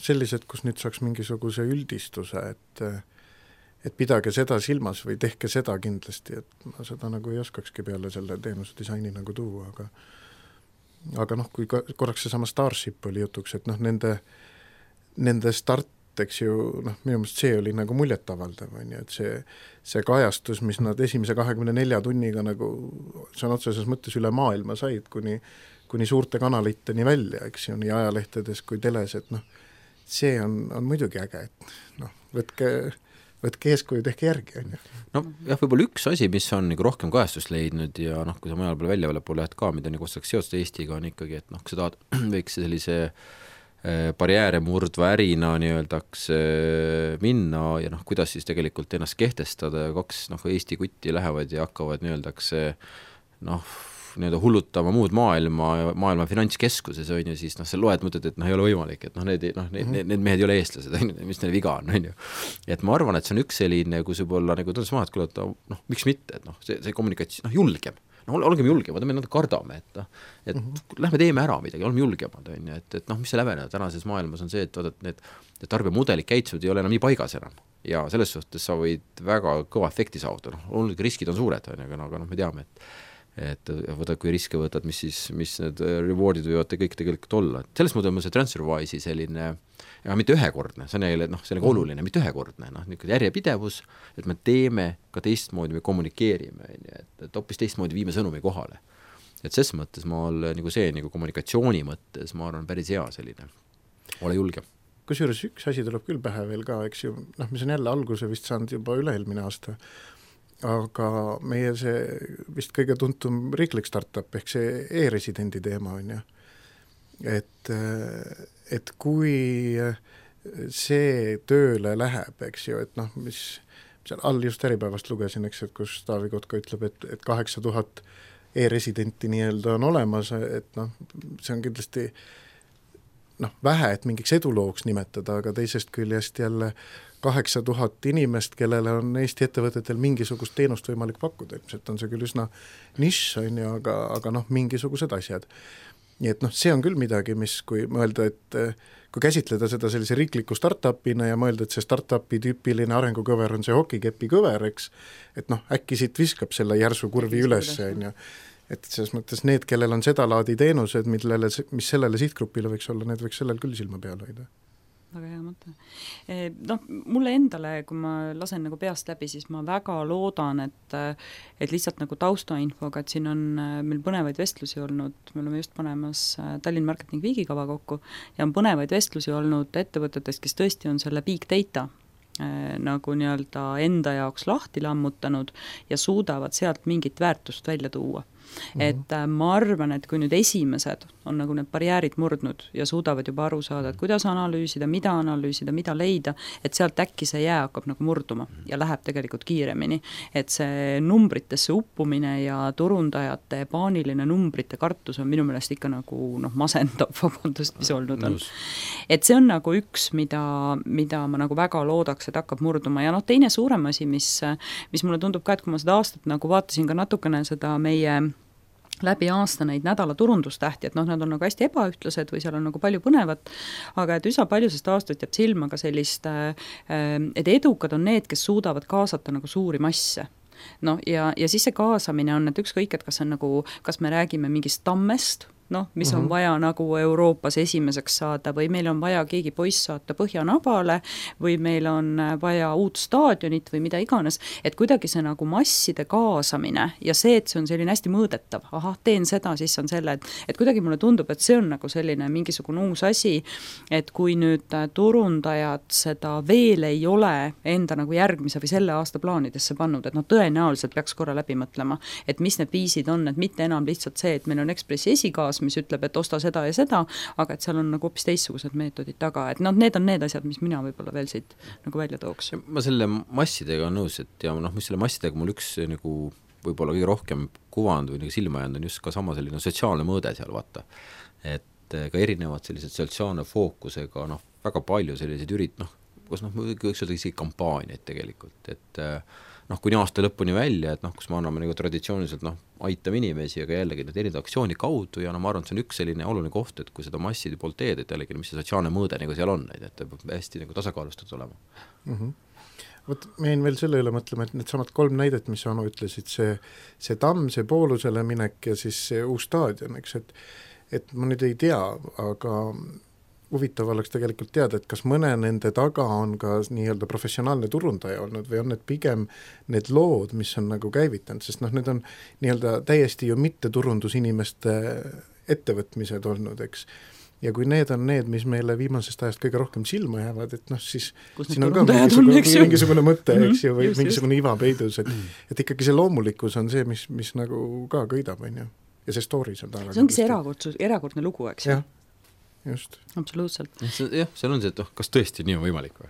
sellised, kus nüüd saaks mingisuguse üldistuse, et pidage seda silmas või tehke seda kindlasti, et ma seda nagu ei oskakski peale selle teenuse disaini nagu tuua, aga kui korraks seesama Starship oli jutuks, et nende start, eks ju, minu meelest see oli nagu muljetavaldav, on ju, et see kajastus, mis nad esimese 24 tunniga nagu see on otseses mõttes üle maailma said, kuni suurte kanaliteni välja, eks ju, nii ajalehtedes kui teles, et see on muidugi äge, et võtke eeskuju, tehke järgi, on ju. Võib-olla üks asi, mis on nagu rohkem kajastust leidnud ja kui sa mujal pole väljapoole lähed ka, mida nagu ostaks seotud Eestiga, on ikkagi, et kui sa tahad võiks sellise barjääre murdva ärina nii-öeldaks minna ja kuidas siis tegelikult ennast kehtestada ja kaks Eesti kutti lähevad ja hakkavad nii-öeldaks nii-öelda hullutama muud maailma finantskeskuses on ju, siis sa loed mõtled, et ei ole võimalik, et need mehed ei ole eestlased, mis neil viga on ju. Et ma arvan, et see on üks selline, kus võib-olla nagu tõendas maha, et kuule, miks mitte, et see kommunikatsioon, julgem. Olgem julgemad, me natuke kardame, et lähme teeme ära midagi, oleme julgemad, on ju, et mis see lävene tänases maailmas on see, et vaadad, need tarbijamudelid käitsuvad ei ole enam nii paigas enam ja selles suhtes sa võid väga kõva efekti saavutada, riskid on suured, aga me teame, et võtad, kui riske võtad, mis need rewardid võivad kõik tegelikult olla, et selles mõttes on see TransferWise'i selline ja mitte ühekordne, see on jälle sellega oluline, mitte ühekordne, järjepidevus, et me teeme ka teistmoodi, me kommunikeerime, et hoopis teistmoodi viime sõnumi kohale. Et ses mõttes ma olen nagu see nagu kommunikatsiooni mõttes, ma arvan, päris hea selline, ole julge. Kusjuures üks asi tuleb küll pähe veel ka, eks ju, mis on jälle alguse vist saanud juba üle-eelmine aasta, aga meie see vist kõige tuntum riiklik startup ehk see e-residendi teema on ju, et kui see tööle läheb, eks ju, et mis seal all just Äripäevast lugesin, eks, et kus Taavi Kotka ütleb, et 8000 e-residenti nii-öelda on olemas, et see on kindlasti vähe, et mingiks edulooks nimetada, aga teisest küljest jälle 8000 inimest, kellele on Eesti ettevõtetel mingisugust teenust võimalik pakkuda, ilmselt on see küll üsna nišš, on ju, aga mingisugused asjad. Nii et see on küll midagi, mis kui mõelda, et kui käsitleda seda sellise riikliku startupina ja mõelda, et see startupi tüüpiline arengukõver on see hokikepi kõver, eks, et äkki siit viskab selle järsu kurvi üles, on ju. Et selles mõttes need, kellel on seda laadi teenused, mis sellele sihtgrupile võiks olla, need võiks sellel küll silma peal hoida. väga hea mõte. Noh, mulle endale, kui ma lasen nagu peast läbi, siis ma väga loodan, et lihtsalt nagu taustainfoga, et siin on meil põnevaid vestlusi olnud, me oleme just panemas Tallinna Marketing Weeki kava kokku ja on põnevaid vestlusi olnud ettevõtetest, kes tõesti on selle big data nagu nii-öelda enda jaoks lahti lammutanud ja suudavad sealt mingit väärtust välja tuua. Et ma arvan, et kui nüüd esimesed on nagu need barjäärid murdnud ja suudavad juba aru saada, et kuidas analüüsida, mida leida, et sealt äkki see jää hakkab nagu murduma ja läheb tegelikult kiiremini. Et see numbritesse uppumine ja turundajate paaniline numbrite kartus on minu meelest ikka nagu masendab, vabandust, mis olnud on. Et see on nagu üks, mida ma nagu väga loodaks, et hakkab murduma. Ja teine suurem asi, mis mulle tundub ka, et kui ma seda aastat nagu vaatasin ka natukene seda meie läbi aasta neid nädala turundustähti, et nad on nagu hästi ebaühtlased või seal on nagu palju põnevat, aga et üsna palju sest aastat jääb silma ka sellist, et edukad on need, kes suudavad kaasata nagu suuri masse. Ja siis see kaasamine on, et ükskõik, et kas me räägime mingist tammest, mis on vaja nagu Euroopas esimeseks saada või meil on vaja keegi poiss saata Põhjanabale või meil on vaja uut staadionit või mida iganes, et kuidagi see nagu masside kaasamine ja see, et see on selline hästi mõõdetav, teen seda, siis on selle, et kuidagi mulle tundub, et see on nagu selline mingisugune uus asi, et kui nüüd turundajad seda veel ei ole enda nagu järgmise või selle aasta plaanidesse pannud, et tõenäoliselt peaks korra läbi mõtlema, et mis need viisid on, et mitte enam lihtsalt see, et meil on Ekspressi esikaas, mis ütleb, et osta seda ja seda, aga et seal on nagu hoopis teistsugused meetodid taga, et need on need asjad, mis mina võib-olla veel siit nagu välja tooks. Ma selle massidega on nõus, et ja mis selle massidega mul üks nagu võib-olla kõige rohkem kuvand või nagu silma jäänud on just ka sama selline sotsiaalne mõõde seal, vaata. Et ka erinevad sellised sotsiaalne fookusega, väga palju selliseid kus võiks öelda isegi kampaaniaid tegelikult, et kuni aasta lõpuni välja, et kus me anname nagu traditsiooniliselt aitame inimesi, aga jällegi need erinevad aktsiooni kaudu ja ma arvan, et see on üks selline oluline koht, et kui seda masside poolt teed, et jällegi mis see sotsiaalne mõõde nagu seal on, et peab hästi nagu tasakaalustatud olema. Vot me jäin veel selle üle mõtlema, et need samad 3 näidet, mis Anu ütlesid, see tamm, see poolusele minek ja siis see uus staadion, eks, et ma nüüd ei tea, aga huvitav oleks tegelikult teada, et kas mõne nende taga on ka nii-öelda professionaalne turundaja olnud või on need pigem need lood, mis on nagu käivitanud, sest need on nii-öelda täiesti ju mitte turundusinimeste ettevõtmised olnud, eks. Ja kui need on need, mis meile viimasest ajast kõige rohkem silma jäävad, et siis siin on ka mingisugune mõte, eks ju, või mingisugune iva peidus, et ikkagi see loomulikkus on see, mis nagu ka köidab, on ju. Ja see stories on taga. See ongi see erakordne lugu, eks ju. Just. Absoluutselt. Jah, seal on see, et kas tõesti nii on võimalik või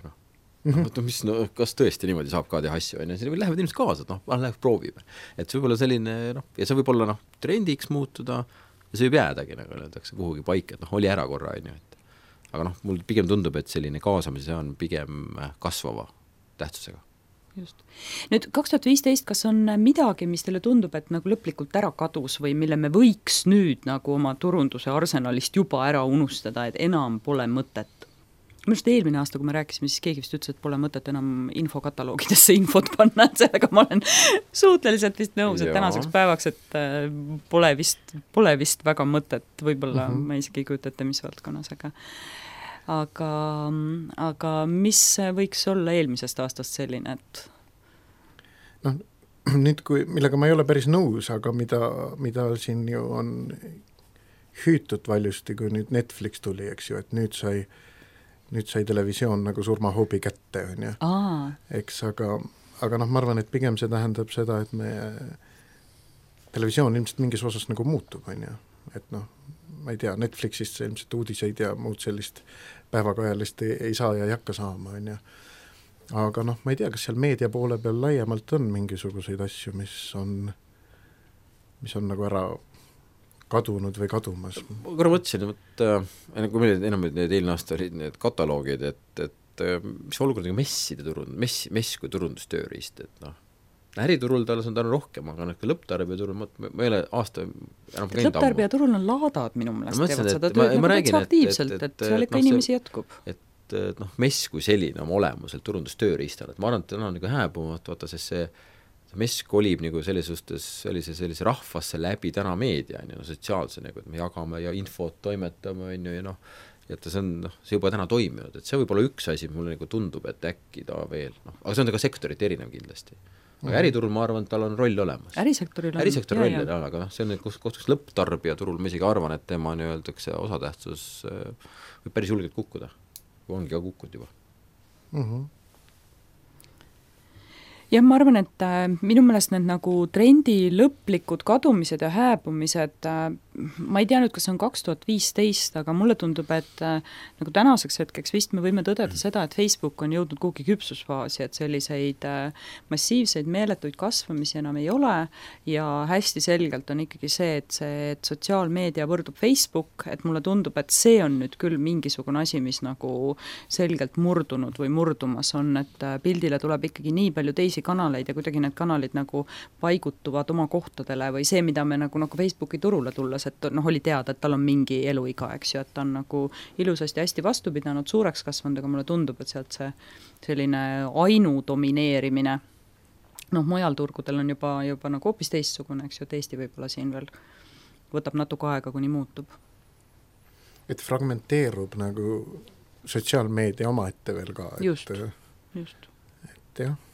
kas tõesti niimoodi saab ka teha asju, või lähevad inimesed kaasa, läheb proovime. Et see võib olla selline, ja see võib olla trendiks muutuda ja see võib jäädagi, nagu öeldakse, kuhugi paika, et oli ära korra, aga mul pigem tundub, et selline kaasamise on pigem kasvava tähtsusega. Just. Nüüd 2015, kas on midagi, mis teile tundub, et nagu lõplikult ära kadus või mille me võiks nüüd nagu oma turunduse arsenalist juba ära unustada, et enam pole mõtet? Minu arust eelmine aasta, kui me rääkisime, siis keegi vist ütles, et pole mõtet enam infokataloogidesse infot panna, et sellega ma olen suhteliselt vist nõus, et tänaseks päevaks, et pole vist väga mõtet, võib-olla ma isegi ei kujuta ette, mis valdkonnas, aga mis võiks olla eelmisest aastast selline, et nüüd millega ma ei ole päris nõus, aga mida siin ju on hüütud valjusti, kui nüüd Netflix tuli, eks ju, et nüüd sai televisioon nagu surmahoobi kätte, on ju. Eks, aga ma arvan, et pigem see tähendab seda, et televisioon ilmselt mingis osas nagu muutub, on ju, et ma ei tea, Netflixist see ilmselt uudiseid ja muud sellist päevakajalist ei saa ja ei hakka saama, on ju. Aga ma ei tea, kas seal meedia poole peal laiemalt on mingisuguseid asju, mis on nagu ära kadunud või kadumas. Ma korra mõtlesin, et kui meil enam need eelne aasta olid need kataloogid, et mis olukord messide mess kui turundustööriist, et äriturul talle on tänu rohkem, aga lõpptarbijaturul ma ei ole aasta enam käinud lõpptarbijaturul on laadad minu meelest teevad seda tööd nagu täitsa aktiivselt, et seal ikka inimesi jätkub. Et mess kui selline oma olemuselt turundustööriistal, et ma arvan, et täna on nagu hääbumat, vaata, sest see mess kolib nagu sellise rahvasse läbi täna meedia, sotsiaalse, nagu, et me jagame ja infot toimetame, et see on, see juba täna toiminud, et see võib olla üks asi, mulle nagu tundub, et äkki ta veel, aga see on ka sektorit erinev kindlasti. Aga äriturul ma arvan, et tal on roll olemas. Ärisektori roll on, aga see on kus lõpptarbija turul, ma isegi arvan, et tema öeldakse osatähtsus võib päris julgelt kukkuda, kui ongi ka kukkunud juba. Jah, ma arvan, et minu meelest need nagu trendi lõplikud kadumised ja hääbumised, ma ei tea nüüd, kas see on 2015, aga mulle tundub, et nagu tänaseks hetkeks vist me võime tõdeda seda, et Facebook on jõudnud kuhugi küpsusfaasi, et selliseid massiivseid meeletuid kasvamisi enam ei ole ja hästi selgelt on ikkagi see, et sotsiaalmeedia võrdub Facebook, et mulle tundub, et see on nüüd küll mingisugune asi, mis nagu selgelt murdunud või murdumas on, et pildile tuleb ikkagi nii palju teisi kanaleid ja kuidagi need kanalid nagu paigutuvad oma kohtadele või see, mida me nagu Facebooki turule tulles, et oli teada, et tal on mingi eluiga, eks ju, et ta on nagu ilusasti hästi vastu pidanud, suureks kasvanud, aga mulle tundub, et sealt see selline ainudomineerimine, mujal turgudel on juba nagu hoopis teistsugune, eks ju, et Eesti võib-olla siin veel võtab natuke aega, kuni muutub. Et fragmenteerub nagu sotsiaalmeedia omaette veel ka. Just. Et jah.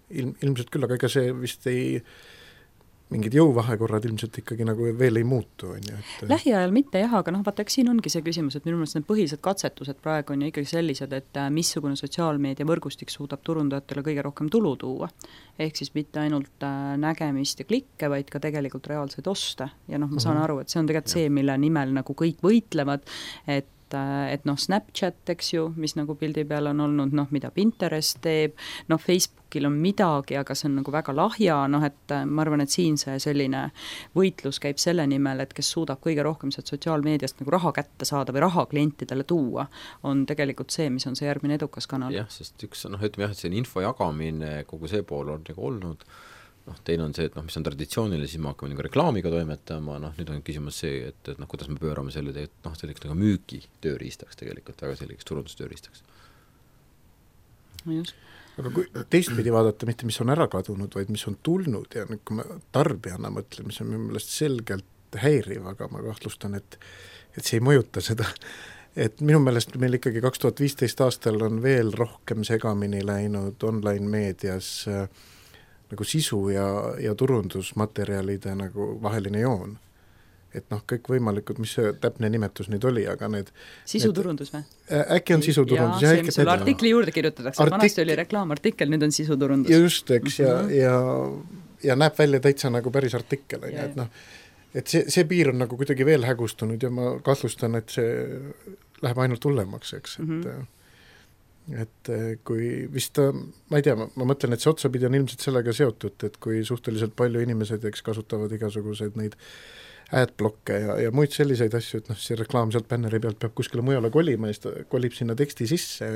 Ilmselt küll, aga ega see vist mingid jõuvahekorrad ilmselt ikkagi nagu veel ei muutu. Lähiajal mitte jah, aga vaata, eks siin ongi see küsimus, et minu meelest need põhilised katsetused praegu on ju ikkagi sellised, et missugune sotsiaalmeedia võrgustik suudab turundajatele kõige rohkem tulu tuua. Ehk siis mitte ainult nägemist ja klikke, vaid ka tegelikult reaalseid oste. Ja ma saan aru, et see on tegelikult see, mille nimel nagu kõik võitlevad, et Snapchat, eks ju, mis nagu pildi peal on olnud, mida Pinterest teeb, Facebookil on midagi, aga see on nagu väga lahja, et ma arvan, et siin see selline võitlus käib selle nimel, et kes suudab kõige rohkem sealt sotsiaalmeediast nagu raha kätte saada või raha klientidele tuua, on tegelikult see, mis on see järgmine edukas kanal. Jah, sest üks, ütleme jah, et see info jagamine, kogu see pool on nagu olnud, teine on see, et mis on traditsiooniline, siis me hakkame nagu reklaamiga toimetama, nüüd on küsimus see, et kuidas me pöörame selle selliseks nagu müügi tööriistaks tegelikult, väga selliseks turundustööriistaks. Just. Aga kui teistpidi vaadata, mitte mis on ära kadunud, vaid mis on tulnud ja kui me tarbijana mõtleme, see on minu meelest selgelt häiriv, aga ma kahtlustan, et see ei mõjuta seda. Et minu meelest meil ikkagi 2015 aastal on veel rohkem segamini läinud online meedias nagu sisu ja turundusmaterjalide nagu vaheline joon. Et kõik võimalikud, mis see täpne nimetus nüüd oli, aga need sisuturundus või? Äkki on sisuturundus. See, mis sulle artikli juurde kirjutatakse, vanasti oli reklaamartikkel, nüüd on sisuturundus. Just, eks, ja näeb välja täitsa nagu päris artikkel. Et see piir on nagu kuidagi veel hägustunud ja ma kahtlustan, et see läheb ainult hullemaks, eks, et kui vist, ma ei tea, ma mõtlen, et see otsapidi on ilmselt sellega seotud, et kui suhteliselt palju inimesed kasutavad igasuguseid neid adblokke ja muid selliseid asju, et see reklaam sealt bänneri pealt peab kuskile mujale kolima ja siis kolib sinna teksti sisse,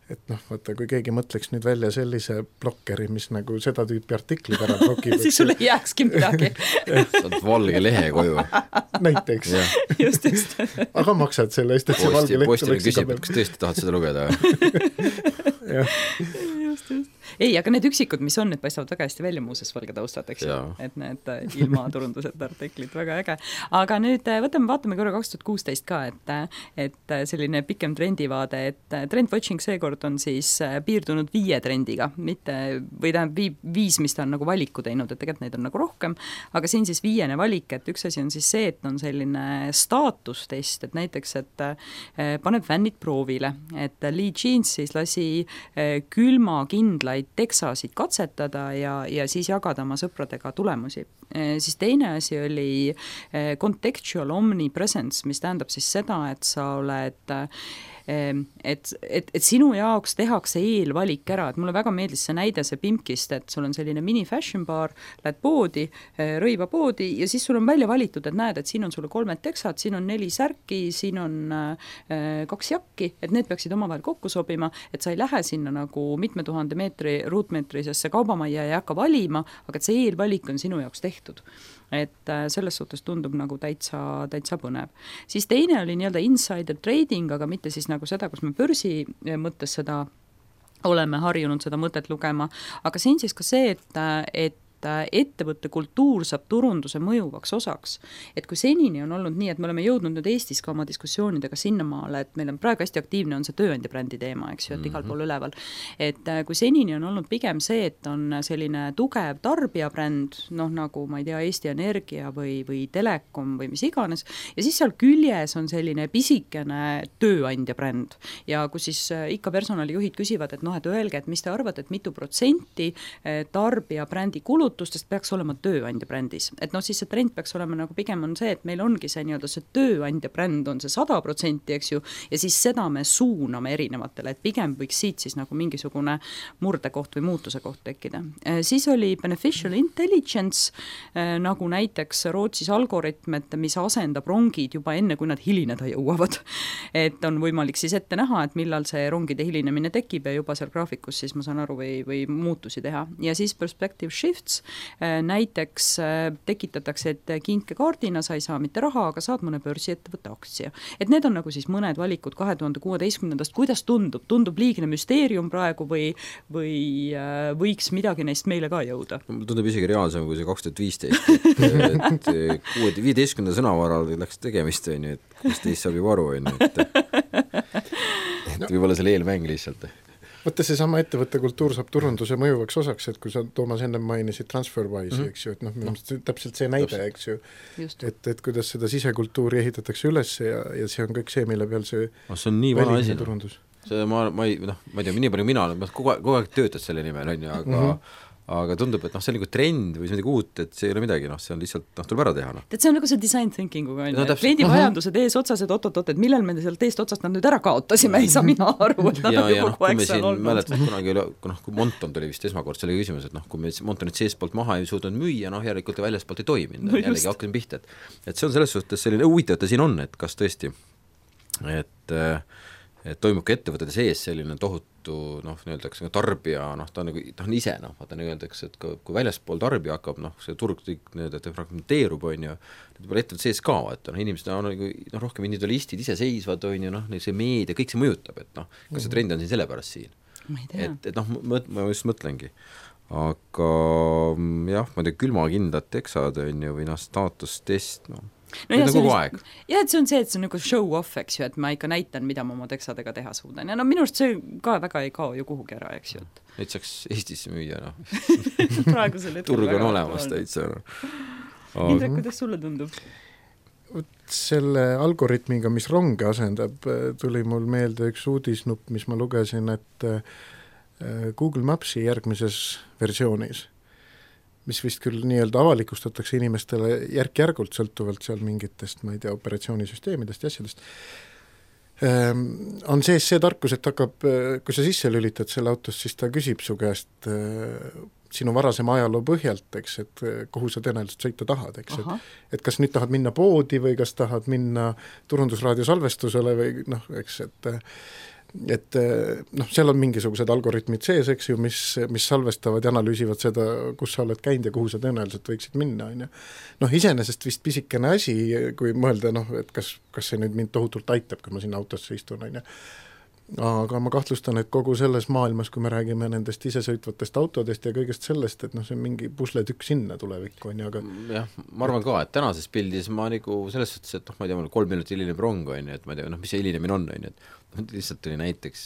et vaata, kui keegi mõtleks nüüd välja sellise blokkeri, mis nagu seda tüüpi artiklid ära blokib. siis sul ei jääkski midagi. Saad valge lehe koju. Näiteks. Just. Aga maksad selle eest, et see valge leht postile küsib, kas tõesti tahad seda lugeda? Just. Ei, aga need üksikud, mis on, need paistavad väga hästi välja muuses valge taustad, eks ju, et need ilma turundused artiklid, väga äge. Aga nüüd vaatame korra 2016 ka, et selline pikem trendivaade, et trendwatching seekord on siis piirdunud 5 trendiga, mitte, või tähendab 5, mis ta on nagu valiku teinud, et tegelikult neid on nagu rohkem, aga siin siis 5. valik, et üks asi on siis see, et on selline staatustest, et näiteks, et paneb fännid proovile, et Lee Jeans siis lasi külmakindlaid teksasid katsetada ja siis jagada oma sõpradega tulemusi. Siis teine asi oli contextual omnipresence, mis tähendab siis seda, et sa oled et sinu jaoks tehakse eelvalik ära, et mulle väga meeldis see näide see Pimpkist, et sul on selline mini fashion bar, lähed poodi, rõivapoodi ja siis sul on välja valitud, et näed, et siin on sulle 3 teksad, siin on 4 särki, siin on 2 jakki, et need peaksid omavahel kokku sobima, et sa ei lähe sinna nagu mitme tuhande ruutmeetrisesse kaubamajja ja ei hakka valima, aga et see eelvalik on sinu jaoks tehtud. Et selles suhtes tundub nagu täitsa põnev. Siis teine oli nii-öelda insider trading, aga mitte siis nagu seda, kus me börsi mõttes seda oleme harjunud seda mõtet lugema, aga siin siis ka see, et ettevõtte kultuur saab turunduse mõjuvaks osaks. Et kui senini on olnud nii, et me oleme jõudnud nüüd Eestis ka oma diskussioonidega sinnamaale, et meil on praegu hästi aktiivne on see tööandja brändi teema, eks ju, et igal pool üleval. Et kui senini on olnud pigem see, et on selline tugev tarbijabränd, noh nagu ma ei tea, Eesti Energia või Telekom või mis iganes, ja siis seal küljes on selline pisikene tööandja bränd ja kus siis ikka personalijuhid küsivad, et noh, et öelge, et mis te arvate, et mitu protsenti tarbija brändi kulutustest peaks olema tööandja brändis. Et noh, siis see trend peaks olema nagu pigem on see, et meil ongi see nii-öelda see tööandja bränd on see 100%, eks ju, ja siis seda me suuname erinevatele, et pigem võiks siit siis nagu mingisugune murdekoht või muutuse koht tekkida. Siis oli beneficial intelligence, nagu näiteks Rootsis algoritm, et mis asendab rongid juba enne, kui nad hilineda jõuavad. Et on võimalik siis ette näha, et millal see rongide hilinemine tekib ja juba seal graafikus siis ma saan aru või muutusi teha. Ja siis perspective shifts, näiteks tekitatakse, et kinkekaardina sa ei saa mitte raha, aga saad mõne börsiettevõtte aktsia. Et need on nagu siis mõned valikud 2016. Kuidas tundub? Tundub liigne müsteerium praegu või võiks midagi neist meile ka jõuda? Tundub isegi reaalsem kui see 2015, et 15. sõnavaral läks tegemist, et 16 saab juba aru, et võib-olla selle eelmäng lihtsalt. Võtta see sama ettevõtte kultuur saab turunduse mõjuvaks osaks, et kui sa Toomas enne mainisid TransferWise'i, eks ju, et noh, täpselt see näide, eks ju, et kuidas seda sisekultuuri ehitatakse üles ja see on kõik see, mille peal see on nii vana asi. Turundus. See ma ei tea, nii palju mina olen, kogu aeg töötad selle nimel, aga tundub, et see on nagu trend või midagi uut, et see ei ole midagi, see on lihtsalt, tuleb ära teha. Et see on nagu see design thinkinguga, kliendi vajadused ees otsas, et oot, et millal me sealt eest otsast nad nüüd ära kaotasime, ei saa mina aru, et nad on juba kogu aeg seal olnud. Mäletad, kunagi kui Monton tuli vist esmakord selle küsimus, et kui me Montonit seespoolt maha ei suutnud müüa, järelikult väljaspoolt ei toiminud, jällegi hakkasin pihta, et see on selles suhtes selline huvitav, et siin on, et kas tõesti, et toimub ka ettevõtete sees selline tohutu, öeldakse tarbija, ta on ise, vaata öeldakse, et kui väljaspool tarbija hakkab, see turg fragmenteerub, ettevõtte sees ka, et inimesed on rohkem individualistid, ise seisvad, see meedia, kõik see mõjutab, et kas see trend on siin sellepärast siin? Et ma just mõtlengi. Aga jah, ma külmakindlad teksad või staatustest, ja, et see on see, et see on nagu show off, eks ju, et ma ikka näitan, mida ma oma teksadega teha suudan. Ja minu arust see ka väga ei kao ju kuhugi ära, eks ju. Neid saaks Eestisse müüa, turg on olemas täitsa. Indrek, kuidas sulle tundub? Selle algoritmiga, mis ronge asendab, tuli mul meelde üks uudisnupp, mis ma lugesin, et Google Mapsi järgmises versioonis, mis vist küll nii-öelda avalikustatakse inimestele järk-järgult sõltuvalt seal mingitest, ma ei tea, operatsioonisüsteemidest ja asjadest, on sees see tarkus, et hakkab, kui sa sisse lülitad selle autost, siis ta küsib su käest sinu varasema ajaloo põhjalt, eks, et kuhu sa tõenäoliselt sõita tahad, eks, et kas nüüd tahad minna poodi või kas tahad minna turundusraadio salvestusele või eks, et seal on mingisugused algoritmid sees, eks ju, mis salvestavad ja analüüsivad seda, kus sa oled käinud ja kuhu sa tõenäoliselt võiksid minna, on ju. Iseenesest vist pisikene asi, kui mõelda, et kas see nüüd mind tohutult aitab, kui ma sinna autosse istun, on ju. Aga ma kahtlustan, et kogu selles maailmas, kui me räägime nendest isesõitvatest autodest ja kõigest sellest, et see on mingi pusletükk sinna tulevikku, on ju, aga jah, ma arvan ka, et tänases pildis ma selles suhtes, et ma ei tea, mul 3 minutit hiline rong, on ju, et ma ei tea, mis see hilinemine on, et lihtsalt tuli näiteks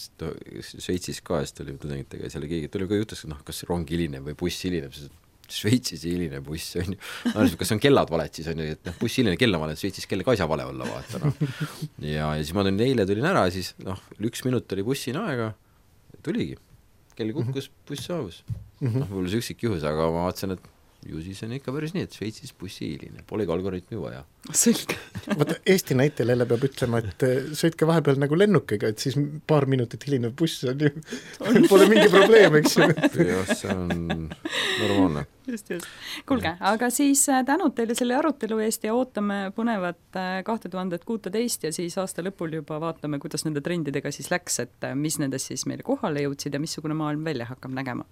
Šveitsis ka, siis tuli tudengitega ja seal keegi tuli ka jutus, kas rong hilineb või buss hilineb, Šveitsis hiline buss, on ju, kas on kellad valed siis, on ju, et buss hiline kella vale, Šveitsis kelle ka ei saa vale olla, vaata, ja siis ma eile tulin ära, siis 1 minut oli bussina aega, tuligi, kell kukkus, buss saabus, võib-olla see üksik juhus, aga ma vaatasin, et ju siis on ikka päris nii, et Šveitsis bussi hiline, polegi algoritmi vaja. Selge. Vaata, Eesti näitel jälle peab ütlema, et sõitke vahepeal nagu lennukiga, et siis paar minutit hilinev buss on ju, pole mingi probleem, eks ju. Jah, see on normaalne. Just. Kuulge, aga siis tänud teile selle arutelu eest ja ootame põnevat 2016 ja siis aasta lõpul juba vaatame, kuidas nende trendidega siis läks, et mis nendest siis meile kohale jõudsid ja missugune maailm välja hakkab nägema.